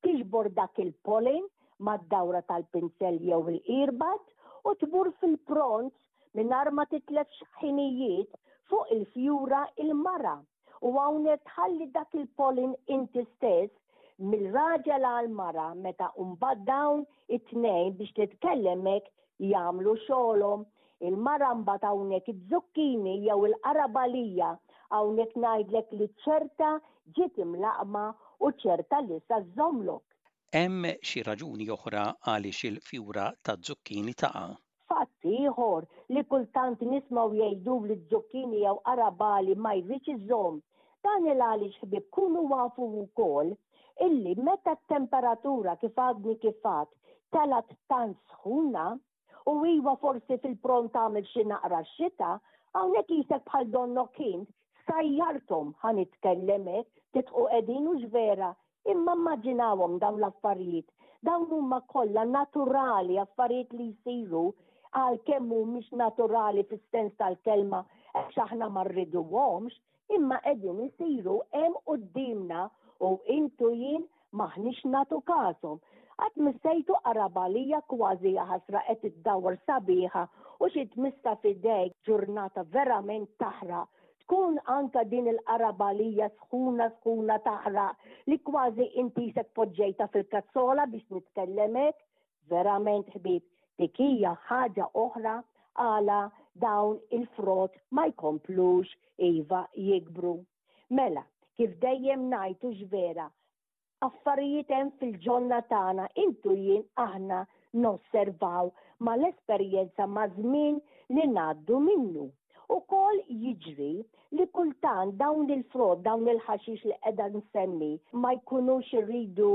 tiġbor dak il-pollen mad-dawra tal-pinsel jew il-earbud u tmur fil-pront mingħajr ma titlef ħinijiet fuq il-fjura il-mara. U hawnhekk tħalli dak il-pollen inti stess mill-raġel għal mara meta mbagħad dawn it-tnejn biex titkellem hekk jagħmlu xogħolhom. Il-mara mbagħad hawnhekk iz-zucchini jew il-qarabalija hawnhekk ngħidlek li ċerta ġiet imlaqqma u ċerta li sa żżommlok. Hemm xi raġuni oħra għaliex il-fjura taz-zucchini taqa'? Fatt ieħor li kultant nismgħu jgħidu li z-zucchini jew qarabali ma jridx iżomm. Dan il-għaliex ħbieb kunu afu wkoll illi meta t-temperatura kif għadni kif għadt telgħet tant sħuna u iwa forsi fil-pront tagħmel xi naqra xita, hawnhekk qisek bħal donnok int sajjarthom ħa nitkellem hekk, tidħqu qegħdin hux vera Imma immaġinawhom dawn l-affarijiet. Dawn huma kollha naturali, affarijiet li jsiru għalkemm mhumiex naturali fis-sens tal-kelma għax aħna ma rriduhomx, imma qegħdin isiru hemm quddiemna u int u jien m'aħniex nagħtu kashom. Qatt missejtu qarabalija kważi jaħasra qed iddawwar sabiħa u xi tmissha f'idejk ġurnata verament taħraq Tkun anka din il-qarabalija sħuna sħuna taħraq li kważi inti isek poġġejtha fil-kazzola biex nitkellem hekk. Verament ħbieb, dik hija ħaġa oħra għala dawn il-frott ma jkomplux iva jikbru. Mela, kif dejjem ngħid hux vera, affarijiet hemm fil-ġonna tagħna int u jien aħna nosservaw mal-esperjenza maż-żmien li ngħaddu minnu. Ukoll jiġri li kultant dawn il-frott, dawn il-ħaxix li qiegħda nsemmi ma jkunux iridu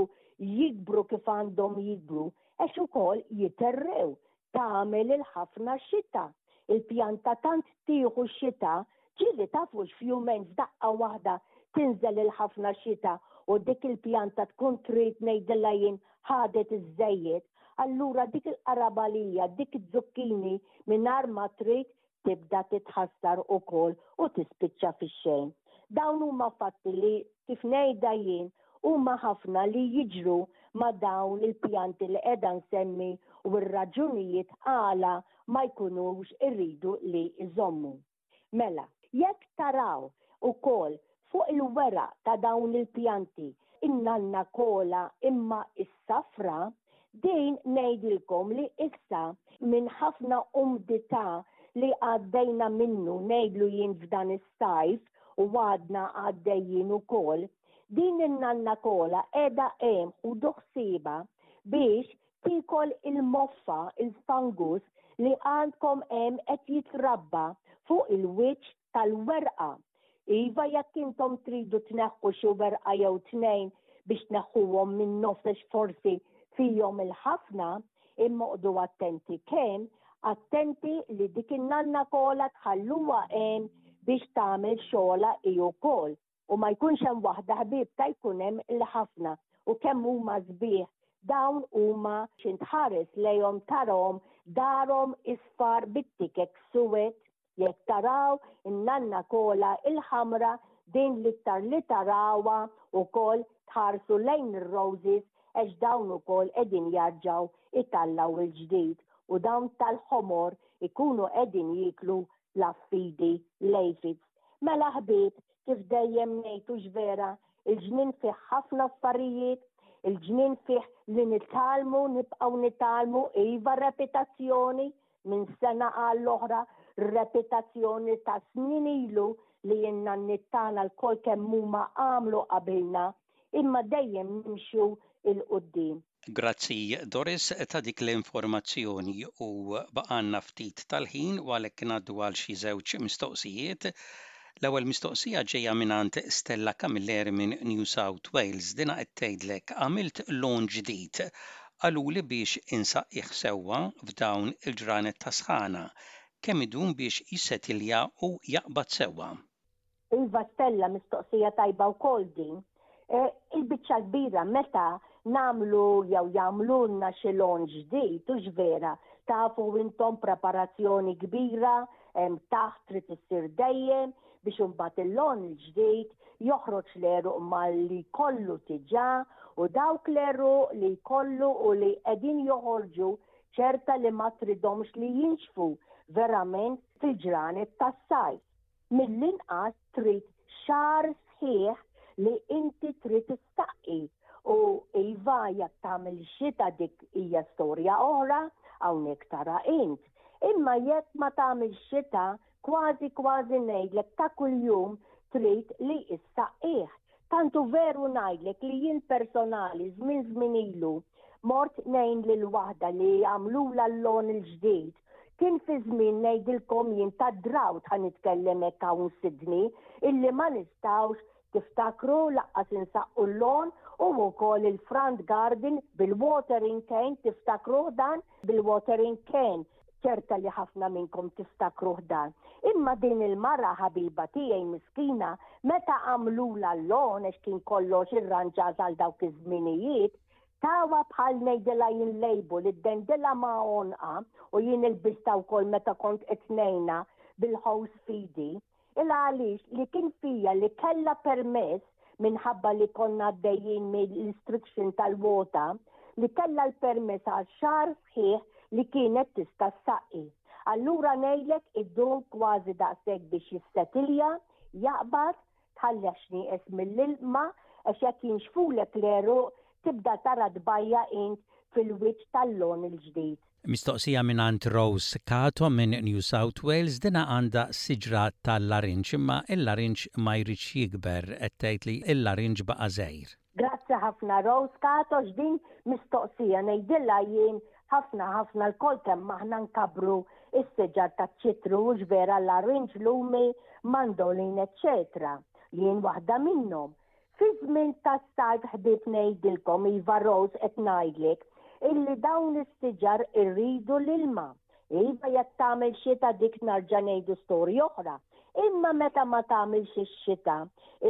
jikbru kif għandhom jikbru għax ukoll jiterrew tagħmel il-ħafna xita. Il-pjanta tant tieħu x-xita, ġieli tafux f'jumejn f'daqqa waħda tinżel il-ħafna xita u dik il-pjanta tkun trid ngħidilha jien ħadet iż-żejjed, allura dik il-qarabalija, dik iz-zucchini mingħajr ma trid tibda titħassar ukoll u tispiċċa fix-xejn. Dawn huma fatti li kif ngħidha jien huma ħafna li jiġru ma' dawn il-pjanti li qiegħda nsemmi u r-raġunijiet għala ma jkunux iridu li jżommu. Mela, jekk taraw ukoll fuq il-weraq ta' dawn il-pjanti in-nanna kola imma s-safra, din ngħidilkom li issa minn ħafna umdità li għaddejna minnu ngħidlu jien f'dan is-sajf u għadna għaddejjin ukoll, din in-nanna kola qiegħda hemm ħudu ħsiebha biex tiekol il-moffa, il-fungus li għandkom hemm qed jitrabba fuq il-wiċċ tal-werqa. Iva jekk intom tridu tneħħu xi werqa jew tnejn biex tneħħuhom minn nofs għax forsi fihom il-ħafna, imma oqgħodu attenti kemm, attenti li dik in-nanna kola tħalluha hemm biex tagħmel xogħolha hi wkoll. U ma jkunx hemm waħda ħbieb ta' jkun hemm il-ħafna u kemm huma sbieħ dawn huma x'int tħares lejhom tarahom darhom isfar bit-tikek suwed jekk taraw in-nanna kola il-ħamra din l-iktar li tarawha wkoll tħarsu lejn ir-roses għax dawn ukoll qegħdin jarġgħu itallgħu il-ġdid u dawn tal-ħomor ikunu qegħdin jieklu l-affidi l-aphids. Mela ħbieb, kif dejjem ngħid hux vera, il-ġnien fih ħafna affarijiet, il-ġnien fih li nitgħallmu, nibqgħu nitgħallmu, iva repitazzjoni minn sena għall-oħra, repitazzjoni ta' snin ilu li n-nanniet tagħna lkoll kemm huma għamlu qabilna, imma dejjem nimxu 'l quddiem. Grazzi Doris ta' dik l-informazzjoni u baqgħalna ftit tal-ħin u għalhekk ngħaddu għal xi żewġ mistoqsijiet. L-ewwel mistoqsija ġejja mingħand Stella Camilleri minn New South Wales. Dinha qed tgħidlek għamilt lawn ġdid. Qaluli biex insaqqih sewwa f'dawn il-ġranet ta' sħana. Kemm idum biex jissetilja u jaqbad sewwa? Iva Stella, mistoqsija tajba wkoll din. Il-biċċa l-kbira meta nagħmlu jew jagħmlulna xi lawn ġdid, hux vera, tafu intom preparazzjoni kbira hemm taħt trid issir dejjem biex imbagħad il-lawn il-ġdid joħroġ l-għeruq malli jkollu diġà u dawk l-għeruq li jkollu u li qegħdin joħorġu ċerta li ma tridhomx li jinxfu verament fil-ġranet tas-sajf. Mill-inqas trid xahar sħiħ li inti trid issaqqi u iva jekk tagħmel xita dik hija storja oħra hawnhekk tara int. Imma jekk ma tagħmilx xita kważi kważi ngħidlek ta' kuljum trid li issaqqih. Tant hu veru ngħidlek li jien personali żmien żmien ilu mort ngħin lil waħda li għamlulha l-lawn il-ġdid. Kien fi żmien ngħidilkom jien ta' drought ħa nitkellem hekk hawn Sydney illi ma nistgħux tiftakru laqqas insaqqu l-lawn u wkoll il-front garden bil-watering can tiftakruh dan bil-watering can. Ċerta li ħafna minnkom tiftakruh dan. Imma din il-mara ħabiba tiegħi miskina, meta għamlulha l-lawn għax kien kollox irranġat għal dawk iż-żminijiet, tawha bħal ngħidilha jien label, iddendilha ma' għonqha u jien ilbistha wkoll meta kont qed ngħinha bil-hose f'idi. Il għaliex li kien fija li kellha permess minħabba li konna għaddejjin mill-restriction tal-water, li kellha l-permess għal xahar sħiħ li kienet tista' ssaqqi. Allura ngħidlek iddum kważi daqshekk biex jissetilja, jaqbad, tħallih x'nieqes mill-ilma għax jekk jinxfulek l-għeruq tibda tara tbajja' int fil-wiċċ tal-lawn il-ġdid. Mistoqsija mingħand Rose Cato minn New South Wales, dinha għandha siġra tal-larinġ imma il-larinġ ma jridx jikber, qed tgħid li il-larinġ baqa' żgħir. Grazzi ħafna Rose Cato x'din mistoqsija ngħidilha jien ħafna ħafna lkoll kemm aħna nkabbru s-siġar taċ-ċitru hux vera larinġ, lumi, mandolin eċċetera. Jien waħda minnhom. Fiż-żmien tas-sajf ħbieb ngħidilkom iva Rose qed ngħidlek illi dawn is-siġar irridu l-ilma. Iva jekk tagħmel xita dik narġa' ngħidu storja oħra. Imma meta ma tagħmilx ix-xita,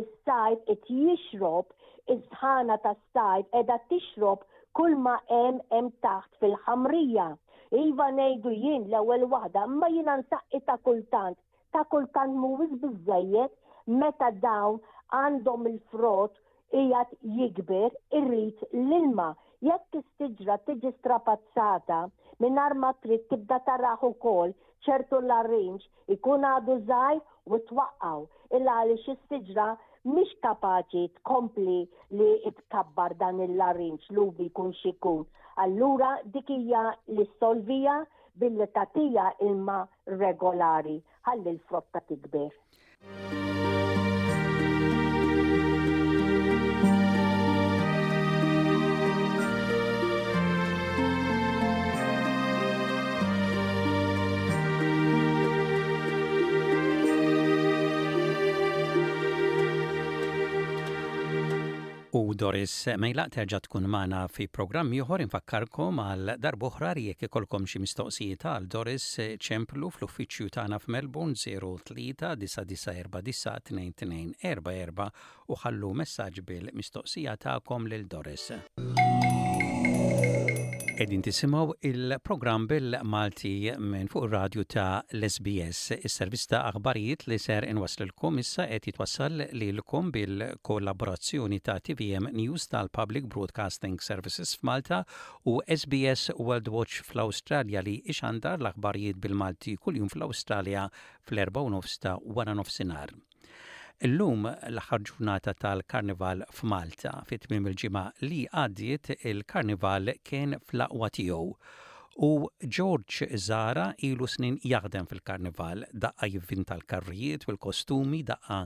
is-sajf qed jixrob, is-sħana tas-sajf qiegħda tixrob kull ma hemm hemm taħt fil-ħamrija. Iva ngħidu jien l-ewwel waħda, imma jiena nsaqqi ta' kultant ta' kultant mhuwiex biżżejjed meta dawn għandhom il-frott qiegħed jikber irid l-ilma. Jekk is-siġra tiġi strapazzata mingħajr ma trid tibda tarah ukoll ċertu larinġ ikun għadu żgħir u twaqqgħu il għaliex is-siġra mhix kapaċi tkompli li tkabbar dan il-larinġ lubi jkun x'ikun. Allura dik hija li ssolviha billi tagħtiha ilma regolari ħalli l-frotta tikber. U Doris Mejlaq terġa' tkun magħna fi programm ieħor infakkarkom għal darb'oħra li jekk ikollkom xi mistoqsijiet għal Doris ċemplu fl-uffiċċju tagħna f'Melbourne 03 9949 2244 u ħallu messaġġ bil-mistoqsija tagħkom lil Doris. Qegħdin tisimgħu il-programm bil-Malti minn fuq ir-radju ta' l-SBS. Is-servizz ta' aħbarijiet li ser inwasslilkom issa qed jitwassal lilkom bil-kollaborazzjoni ta' tvm News tal-Public Broadcasting Services f'Malta u SBS World Watch fl-Awstralja li ixandar l-aħbarijiet bil-Malti kuljum fl-Awstralja fl-4:30 ta' waranofsinhar. Illum l-aħħar ġurnata tal-Karnival f'Malta. Fi tmiem il-ġimgħa li għaddiet il-Karnival kien fl-aqwa tiegħu. U George Zahra ilu snin jaħdem fil-Karnival, daqqa jivvinta l-karrijiet u l-kostumi, daqqa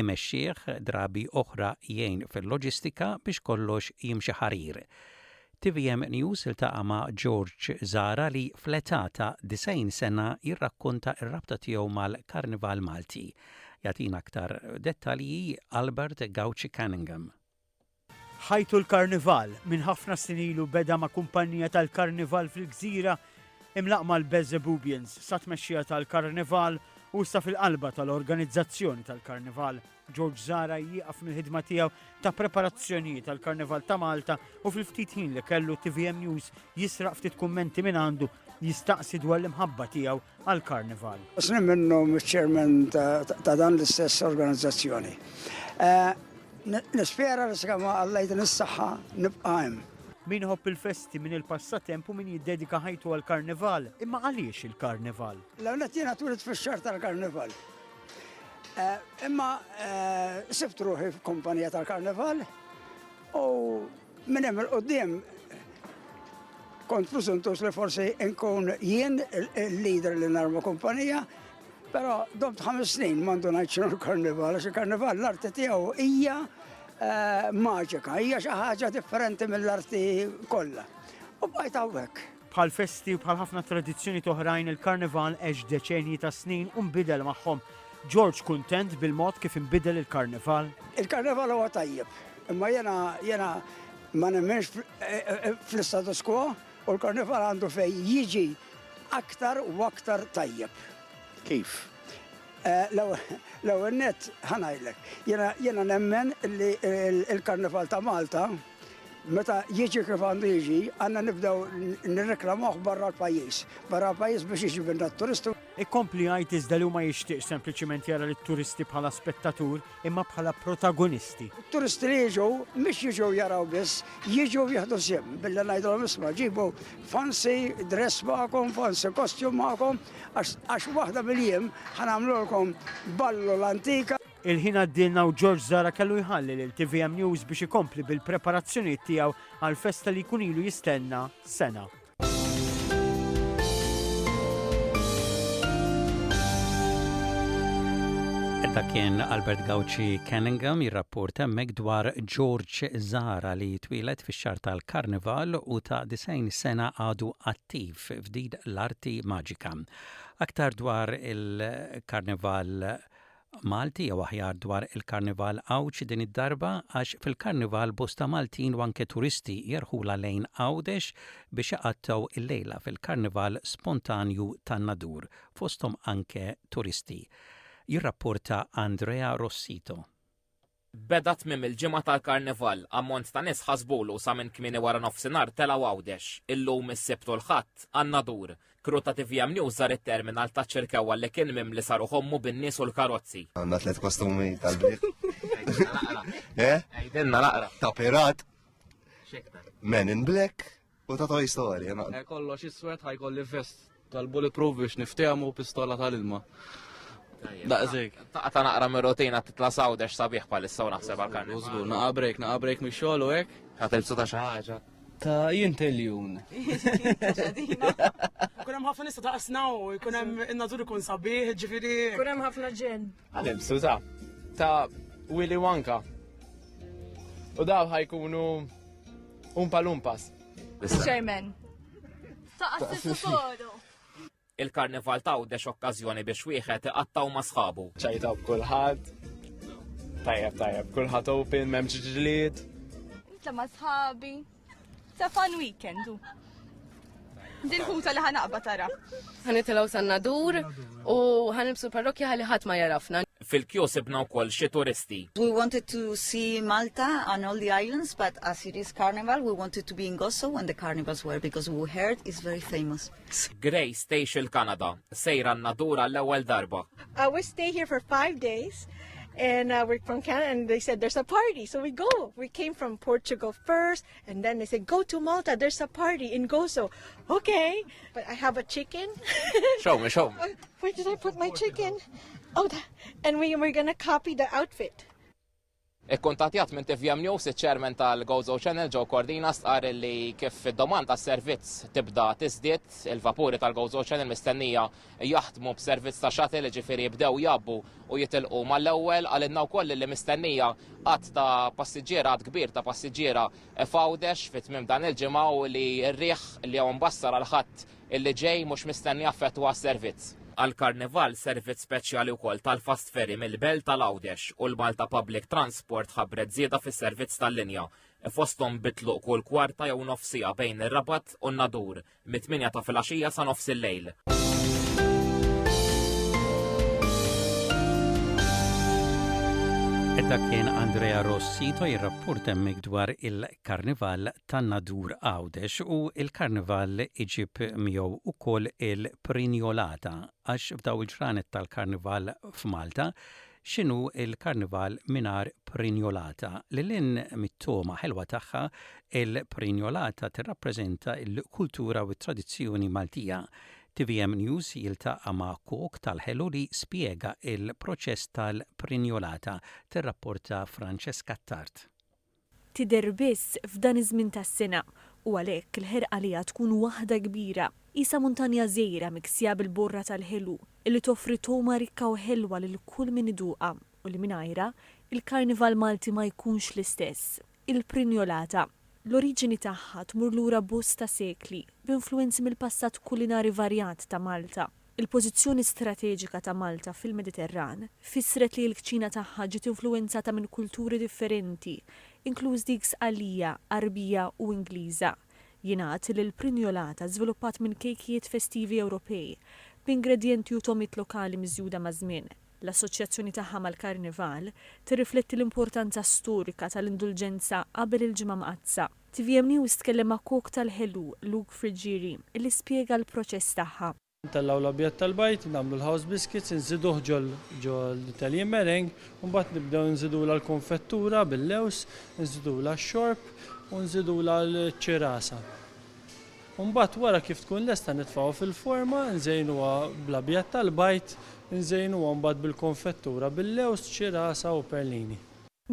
imexxih, drabi oħra jgħin fil-loġistika biex kollox jimxi ħarir. Tvm News iltaqa' ma' George Zahra li fl-età ta' 90 sena jirrakkonta r-rabta tiegħu mal-Karnival Malti. Jagħtina aktar dettalji Albert Gauci Cunningham. Ħajtu l-Karnival minn ħafna snin ilu beda ma' kumpanija tal-Karnival fil-Gżira imlaqqma l-Beelzebubians sa tmexxija tal-Karnival u issa fil-qalba tal-organizzazzjoni tal-Karnival. George Zahra jieqaf mill-ħidma tiegħu ta' preparazzjonijiet għall-Karnival ta' Malta u fil-ftit ħin li kellu TVM News jisraq ftit kummenti minn għandu jistaqsi dwar l-imħabba tiegħu għall-Karnival. Snin minnhom iċ-chairman ta' dan l-istess organizzazzjoni. Eh, nispera li sakemm Alla jtini s-saħħa nibqa' hemm. Min iħobb il-festi, min il-passatemp u min jiddedika ħajtu għall-Karnival. Imma għaliex il-Karnival? L-ewwel nett jiena twilidt fix-xahar tal-Karnival. Eh, imma eh, sibt ruħi f'kumpanija tal-Karnival u minn hemm il-qudiem kont preżuntus li forsi nkun jien il-leader li narma kumpanija, però domt ħames snin mandu ngħid x'inhu l-karnival, għax il-karnival l-arti tiegħu hija eh, maġika, hija xi ħaġa differenti mill-arti kollha. U bqajt hawnhekk. Bħal festi u bħal ħafna tradizzjonijiet oħrajn, il-Karnival għex deċenji ta' snin u nbidel magħhom. George kuntent bil-mod kif inbidel il-Karnival? Il-Karnival huwa tajjeb, imma jiena jiena ma nemminx fl-istatus quo u l-Karnival għandu fejn jiġi aktar u aktar tajjeb. Kif? L-ewwel nett ħa ngħidlek, jiena jiena nemmen li l-Karnival ta' Malta meta jiġi kif għandu jiġi, għandna nibdew nirreklamawh barra l-pajjiż. Barra l-pajjiż biex jiġibilna t-turisti. Ikompli jgħid iżda li hu ma jixtieqx sempliċiment jara lit-turisti bħala spettatur imma bħala protagonisti. It-turisti li jiġu mhix jiġu jaraw biss, jiġu jieħdu sehem billi ngħidilhom isma' ġibu fancy dress magħkom, fancy costume magħkom għax waħda mill-jiem ħa nagħmlulkom ballu l-antika. Il-ħin għaddielna u George Zahra kellu jħalli lil tvm News biex ikompli bil-preparazzjonijiet tiegħu għall-festa li jkun ilu jistenna sena. Dak kien Albert Gauci Cunningham jirrapporta hemmhekk dwar George Zahra li twieled fix-xahar tal-Karnival u ta' 90 sena għadu attiv f'din l-arti maġika. Aktar dwar il-Karnival Malti jew aħjar dwar il-Karnival Għawdxi din id-darba għax fil-Karnival bosta Maltin u anke turisti jerħulha lejn Għawdex biex iqattgħu l-lejla fil-Karnival spontanju tan-Nadur, fosthom anke turisti. Jirrapporta Andrea Rossito. Beda tmiem il-ġimgħa tal-Karnival, ammont ta' nies ħasbulu sa minn kmieni wara nofsinhar telgħu Għawdex. Illum is-Sibt u l-Ħadd, għan-Nadur. Crew ta' tvm News żar it-terminal taċ-Ċirkewwa li kien mimli sa ruħ ommu bin-nies u l-karozzi. Għandna tliet kostumi tal-bliet. Eh? Għidilna naqra. Ta' pirat. Men in Black U ta' Toy Story. Eh, kollox iswed ħajkolli vest tal-bulletproof biex niftehmu pistola tal-ilma. Daqsik. Ta' naqra mir-rutina titla' sawdex sabiħ palissa u naħseb għal karni. Użgur, naqa break, naqa break mix-xogħol u hekk. Ħa tilbsu ta' xi ħaġa. Ta' jinteljun. Kun hemm ħafna nista ta' qasna u jkun hemm in-natur ikun sabiħ, ġifieri. Kun hemm ħafna ġen. Ħanilbsu ta' ta' Willy Wonka. U daw ħajkunu Umpa Lumpas. Chairman. Ta' Assissu Il-Karnival ta' Għawdex okkażjoni biex wieħed iqattgħu ma' sħabu. Ċajta b'kulħadd. Tajjeb, tajjeb, kulħadd open, m'hemmx ġlied. Nitla' ma' sħabi. Ta' fun weekend. Dil-ħuta li ħanaqba tara. Ħanitilgħu san-nadur u ħanilbsu parrokja ħalli ħadd ma jarafna. Fil-kju sibna wkoll xi turisti. We wanted to see Malta and all the islands, but as it is carnival, we wanted to be in Gozo when the carnivals were because we heard it's very famous. Grace tgħix il-Kanada, sejra n-nadur għall-ewwel darba. Uh, we stay here for five days and uh, we're from Canada and they said there's a party so we go we came from Portugal first And then they said, go to Malta, there's a party in Gozo. Okay, but I have a chicken. Show me, show me. Uh, where did I put my chicken? Oh, and we were gonna copy the outfit. Ikkuntattjat minn TVM News, iċ-Chairman tal-Gozo Channel Joe Cordina stqarr li kif id-domanda għas-servizz tibda tiżdied, il-vapuri tal-Gozo Channel mistennija jaħdmu b'servizz ta' shuttle, jiġifieri jibdew jgħabbu u jitilqu mal-ewwel. Qalilna wkoll li mistennija għadd ta' passiġġiera, għadd kbir ta' passiġġiera f'Għawdex fi tmiem dan il-ġimgħa u li r-riħ li hawn mbassar għall-Ħadd illi ġej mhux mistenni jaffettwa s-servizz. Għall-Karnival servizz speċjali wkoll tal-Fast Ferry mill-Belt għal Għawdex u l-Malta Public Transport ħabbret żieda fis-servizz tal-linja, fosthom bi tluq kull kwarta jew nofs siegħa bejn ir-Rabat u n-Nadur. mit-tmienja ta' filgħaxija sa nofs il-lejl. Dak kien Andrea Rossito jirrapport hemmhekk dwar il-Karnival tan-Nadur Għawdex u il-Karnival iġib miegħu ukoll il-Prinjolata għax f'daw il-ġranet tal-Karnival f'Malta X'inhu l-Karnival mingħajr prinjolata? Lil hinn mit-togħma ħelwa tagħha, il-prinjolata tirrappreżenta l-kultura u t-tradizzjoni Maltija. Tvm News jiltaqa' ma' kok tal-ħelu li spjega l-proċess tal-prinjolata, tirrapporta Francesca Attard. Tidher biss f'dan iż-żmien tas-sena u għalhekk il-ħerqa għaliha tkun waħda kbira. Qisha muntanja żgħira miksija bil-borra tal-ħelu illi toffri togħma rikka u ħelwa lil kull min iduqha u li mingħajrha, il-Karnival Malti ma jkunx l-istess. Il-prinjolata. L-oriġini tagħha tmur lura bosta sekli, b'influwenzi mill-passat kulinari varjat ta' Malta. Il-pożizzjoni strateġika ta' Malta fil-Mediterran fissret li l-kċina tagħha ġiet influwenzata minn kulturi differenti, inkluż dik Sqallija, Għarbija u Ingliża. Jingħad li l-prinjolata żviluppat minn kejkijiet festivi Ewropej, b'ingredjenti u togħmiet lokali miżjuda maż-żmien. L-assoċjazzjoni tagħha mal-Karnival tirrifletti l-importanza storika tal-indulġenza qabel il-Ġimgħa Mqaddsa. Tvm News tkellem ma' kok tal-ħelu, Luke Friggieri, li spjega l-proċess tagħha. Ntellgħu l-abjad tal-bajd, nagħmlu l-house biscuits, inżiduh ġol ġol-Italian meringue, u mbagħad nibdew nżidulha l-konfettura bil-lewż, nżidulha x-xorb u nżidulha l-ċirasa. U mbagħad wara kif tkun lesta nitfgħuha fil-forma, nżejnuha bl-abjad tal-bajd, nżejnuha mbagħad bil-konfettura bil-lewż, ċirasa u perlini.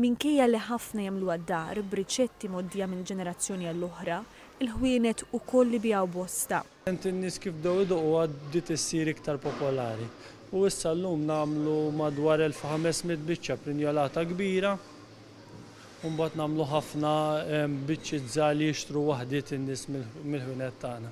Minkejja li ħafna jagħmluha d-dar b'riċetti mgħoddija minn ġenerazzjoni għall-oħra, il-ħwienet ukoll ibigħu bosta. In-nies kif bdew iduquha bdiet issir iktar popolari u issa llum nagħmlu madwar 1500 biċċa prinjolata kbira u mbagħad nagħmlu ħafna biċċiet żgħar li jixtru waħdiet in-nies mill-ħwienet tagħna.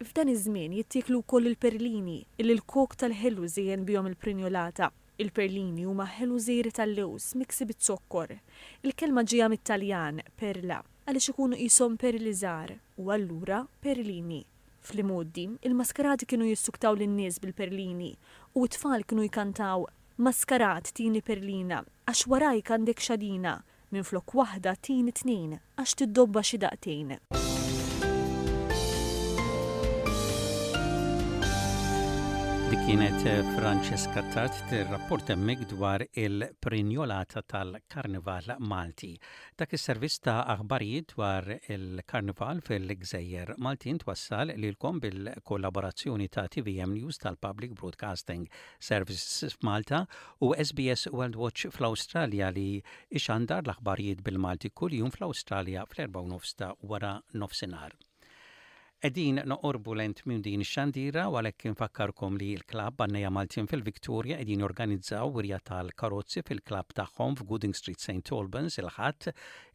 F'dan iż-żmien jittieklu wkoll il-perlini, illi l-kok tal-ħelu żejjen bihom il-prinjolata. Il-perlini huma ħelu żgħir tal-lewż miksi biz-zokkor. Il-kelma ġejja mit-Taljan, perla, għaliex ikunu qishom perli żgħar, u allura perlini. Fl-imgħoddi, il-maskarati kienu jissuktaw lin-nies bil-perlini, u t-tfal kienu jkantaw, Maskarat tini perlina, għax warajk għandek xadina, Minflok waħda tini tnejn għax tiddobba xi daqtejn. Dik kienet Francesca Tart tirrapport hemmhekk dwar il-prinjolata tal-Karnival Malti. Dak is-servizz ta' aħbarijiet dwar il-Karnival fil-Gżejjer Maltin twassal lilkom bil-kollaborazzjoni ta' TVM News tal-Public Broadcasting Services f'Malta u SBS World Watch fl-Awstralja li ixandar l-aħbarijiet bil-Malti kuljum fl-Awstralja fl-4:30 ta' wara nofsinhar. Qegħdin noqorbu lejn tmiem din ix-xandira u għalhekk infakkarkom li l-klabb Għannejja Maltin fil-Victoria qegħdin jorganizzaw wirja tal-karozzi fil-klabb tagħhom f'Gooding Street St Albans il-Ħadd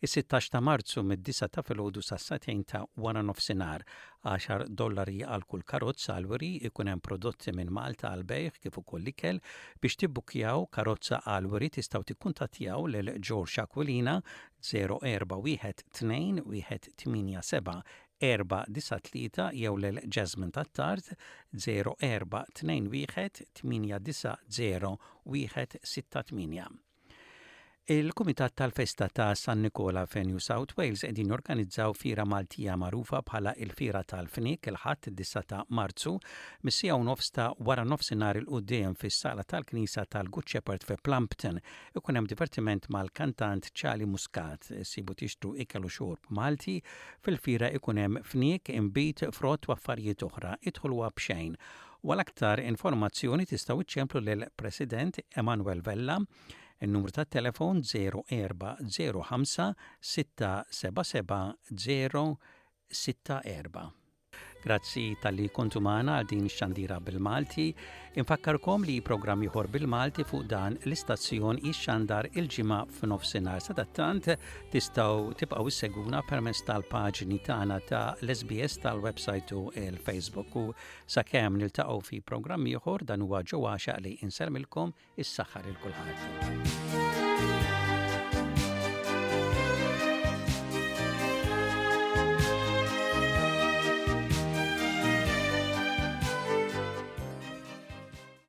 is-16 ta' Marzu mid-disgħa ta' filgħodu sas-sagħtejn ta' wara nofsinhar. Għaxar dollari għal kull karozza għall-wiri, ikun hemm prodotti minn Malta għall-bejgħ kif ukoll ikel. Biex tibbukkjaw karozza għall-wiri tistgħu tikkuntattjaw lil George Aquilina 04 12 187 493 jew lil Jasmine Attard 04 21 890 168. Il-Kumitat tal-Festa ta' San Nikola fi New South Wales qegħdin jorganizzaw fiera Maltija magħrufa bħala il-Fiera tal-Fniek il-Ħadd id-9 ta' Marzu mis-siegħa u nofs ta' wara nofsinhar 'il quddiem fis-sala tal-Knisja tal-Good Shepherd fi Plumpton. Ikun hemm divertiment mal-kantant Charlie Muscat. Issibu tixtru ikel u xorb Malti. Fil-fiera ikun hemm fniek, inbid, frott u affarijiet oħra. Idħol huwa b'xejn. U għal aktar informazzjoni tistgħu iċċemplu lill-President Emanuel Vella, in-numru tat-telefon 0405 677 064. Grazzi talli kontu magħna għal din ix-xandira bil-Malti. Infakkarkom li programm ieħor bil-Malti fuq dan l-istazzjon jixxandar il-ġimgħa f'nofsinhar. Sadattant tistgħu tibqgħu issegwuna permezz tal-paġni tagħna ta' l-SBS tal-website u l-Facebook u Sakemm niltaqgħu fi programm ieħor dan huwa Joe Għaxaq li insellmilkom is-saħħa lil kulħadd.